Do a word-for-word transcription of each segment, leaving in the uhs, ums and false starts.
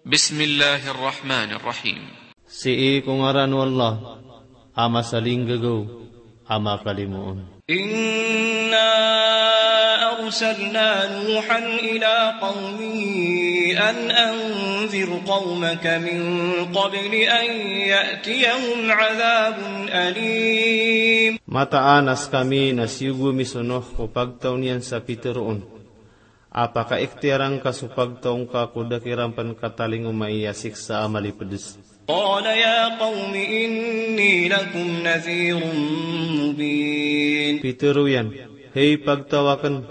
Bismillahir Rahmanir Rahim. Sii ko ngaran o Allah, a masalinggagaw, a makalimoon. Inna arsalna Nuhan ila qawmihi an anzir qawmaka min qabli an ya'tiyahum adhabun alim. Mataan a skami na siyogo mi so Nuh ko pagtaw niyan sa pitharo on a pakaikhtiyara ngka so pagtaw ngka ko da kiran pn katalingomai a siksa a malipds. Qala ya qawmi inni lakum nadhirun mubin. Pitharo iyan, hay pagtaw akn,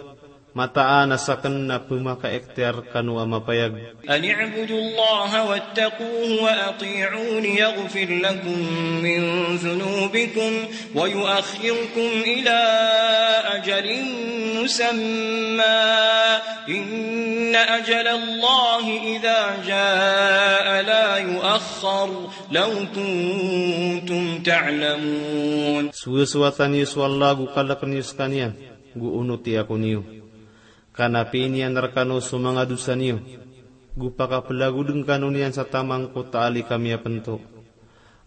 mataan a sakn na pmakaikhtiyar kano a mapayag. An i'budullaha wattaquhu wa ati'un yaghfir lakum min dhunubikum wa yu'akhkhirkum ila ajalin musamma, inna ajalallahi idha jaa la yu'akhkhar, law kuntum ta'lamun. Sowasowatan iyo so Allah go kalkn iyo skaniyan, go onoti ako niyo. Kanapiin iyan rkano so manga dosa niyo, go pakaplagod ngkano niyan sa taman ko taali kami a pnto.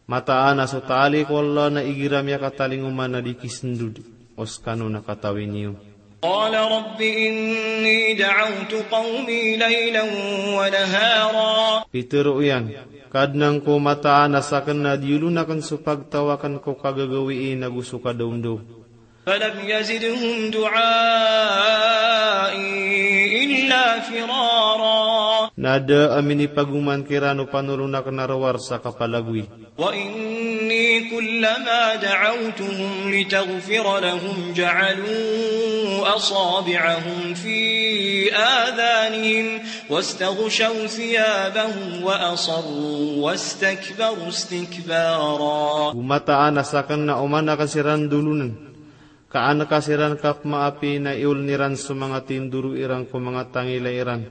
Mataan a so taali ko Allah na igira miyakatalingoma na di kisndod o skano na katawi niyo. Qala rabbi inni da'awtu qawmi laylan wa nahara. Pitharo iyan, Kadnan ko, mataan a sakn na diyolon akn so pagtaw akn ko kagagawii nago so kadawndaw. Falam yazidhum du'ai illa firara. Na da a minipagoman kiran o panolon akn a rowar sa kapalagoy. Wa inni kullama da'awtuhum litaghfira lahum ja'alu asabi'ahum fi adhanihim wastaghshaw thiyabahum wa asarru wastakbaru istikbara. Go mataan a sakn na oman akn siran dolonn, ka an ka siran kapmaapi na iyooln iran so manga tindoro iran ko manga tangila iran,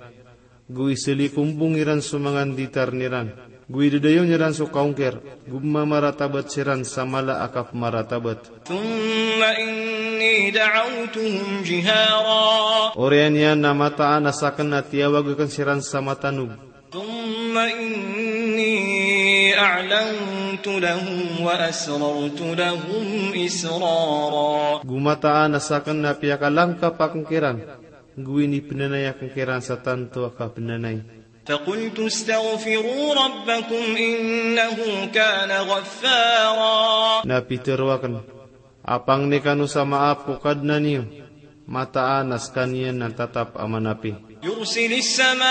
go iselikombong iran so manga nditarn iran, go idadayawn iran so kaongkir, go mamaratabat siran sa mala a kapmaratabat. Thumma inni da'awtuhum jihara. Oriyan iyan na mataan a sakn na tiyawag akn siran sa matanog. Thumma inni a'lantu lahum wa asrartu lahum israra. Go mataan a sakn na piyakalangkap akn kiran, go inipnanay akn kiran sa tanto a kapnanay. Faqultu istaghfiru rabbakum innahu kana ghaffara. Na pitharo akn, a pangni kano sa maap ko Kadnan iyo, mataan a skaniyan na tatap a manapi. Yursilis samaa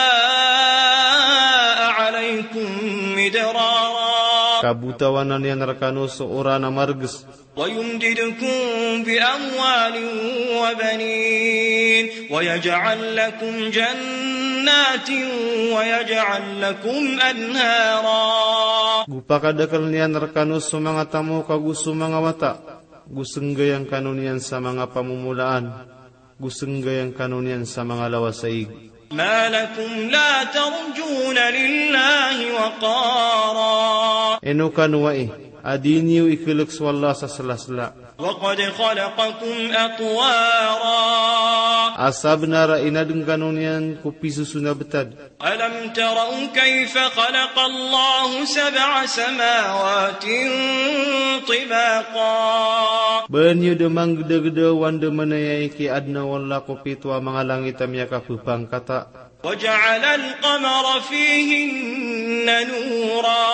alaykum midrara. Ka botawanan iyan rkano so oran a margs. Wa yumdidkum bi amwalin wa banin. Wa yaj'al lakum jannatin wa yaj'al lakum anhara. Go pakadakln iyan rkano so manga tamok ago so manga wata. Go snggayan kano niyan sa manga pamomolaan, go snggayan kano niyan sa manga lawas a ig. Ma lakum la tarjuna lillahi waqara. Ino kano ai a di niyo iklk so Allah sa slasla. Wa qad khalaqakum atwara. A sabnar a inadn kano niyan ko pisoson a btad. Alam taraw kayfa khalaqallahu sab'a samawatin tibaqa. Ba niyo dn manggdagda o andamanaya i kiyaadna o Allah ko pito a manga langit a miyakapphangkata. Wa ja'alal qamara fihinna nura.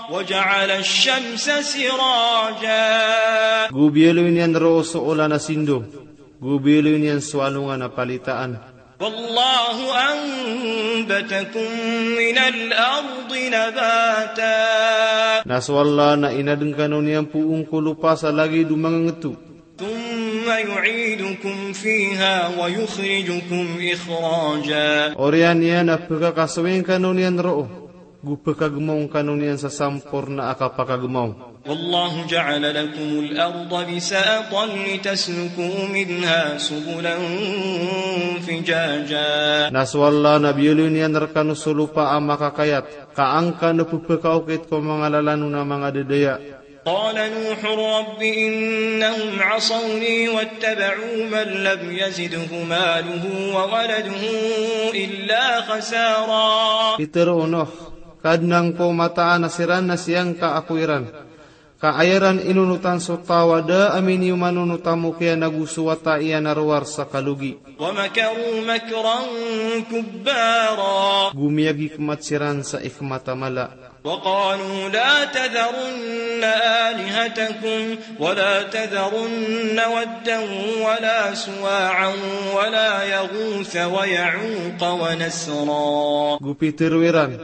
Wa ja'alash shamsa siraja. Go biyaloy niyan roo so olan a sindo. Go biyaloy niyan so alongan a palitaan. Wallahu anbatakum minal ardi nabata. Na so Allah na inadn kano niyan poon ko lopa sa lagid o mangngto. Thumma yu'idukum fiha wa yukhrijukum ikhraja. Oriyan iyan na pkhakasoing kano niyan roo. Go pkhagmaw kano niyan sa samporna a kapakagmaw. Wallahu ja'ala lakumul arda bisatan litasluku minha subulan fijaja. Na so Allah na biyaloy niyan rkano so lopa a makakayat, ka an kano pphakaokit ko manga lalan on a manga dadaya. قال نوح رب إنهم عصوني واتبعوا من لم يزده ماله وولده إلا خسارا. Pitharo o Nuh, Kadnan ko, mataan a siran na siyangka ako iran. Ka aya ran inonotan so taw a da a miniyoman o onot a mokiyan ago so wata iyan a rowar sa kalogi. ومكروا مكرا كبارا. Go miyagikmat siran sa ikmat a mala. وقالوا لا تذرن آلهتكم ولا تذرن ودا ولا سواعا ولا يغوث ويعوق ونسرا. Go pitharo iran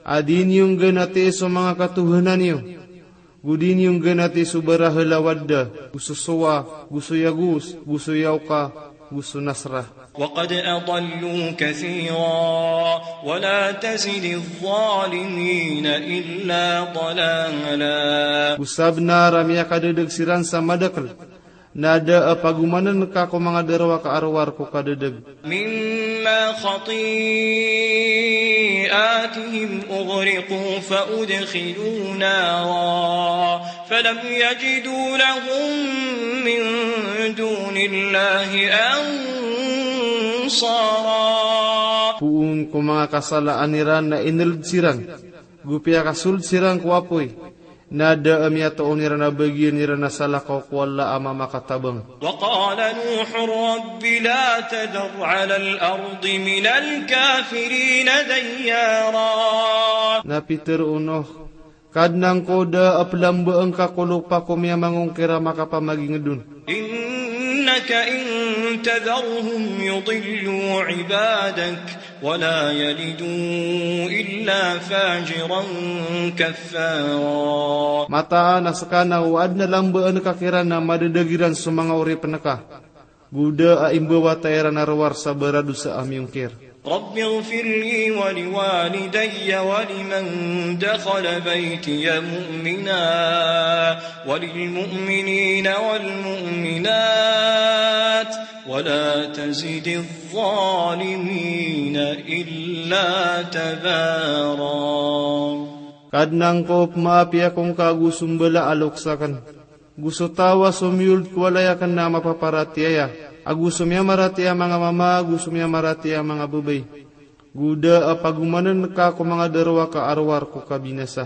a di niyo ngganati so manga katohanan iyo. Go di niyo ngganati so barahel a Wadda, go so Sowa, go so Yagus, go so Yauka, go so Nasra. وقد أضلوا كثيرا ولا تزد الظالمين إلا ضلالا. Go sabnar a miyakadedeg siran sa madakel, na da a pagomanen ka ko manga darowaka a rowar ko kadedeg. مما خطيئاتهم أغرقوا فأدخلوا نارا فلم يجدوا لهم من دون الله أنصارا. Poon ko manga kasalaan iran na ineled siran, go piyakasoled siran ko apoy, na da a miyatoon iran a bagian iran a salakaw ko Allah a mamakatabang. وقال نوح رب لا تذر على الأرض من الكافرين ديارا. Na pitharo o Nuh, Kadnan ko, da a pelambaen ka ko lopa ko miyamangongkir a makapamaginged on. إنك إن تذرهم يضلوا عبادك ولا يلدوا إلا فاجرا كفارا. Mataan a seka na o aden a lambaen ka kiran na madedeg iran so manga oripen ka. Go da a imbawata iran a rowar sa baradosa a miyongkir. رب اغفر لي ولوالدي ولمن دخل بيتي مؤمنا وللمؤمنين والمؤمنات ولا تزد الظالمين إلا تبارا. Kadnan ko, pemaapi ako ngka ago so mbala a loks aken, go so taw a somiyoled ko walay aken a mapaparatiyaya, ago so miyamaratiyaya a manga mama, ago so miyamaratiyaya a manga babay. Go da a pagomanen ka ko manga darowaka a rowar ko kabinasa.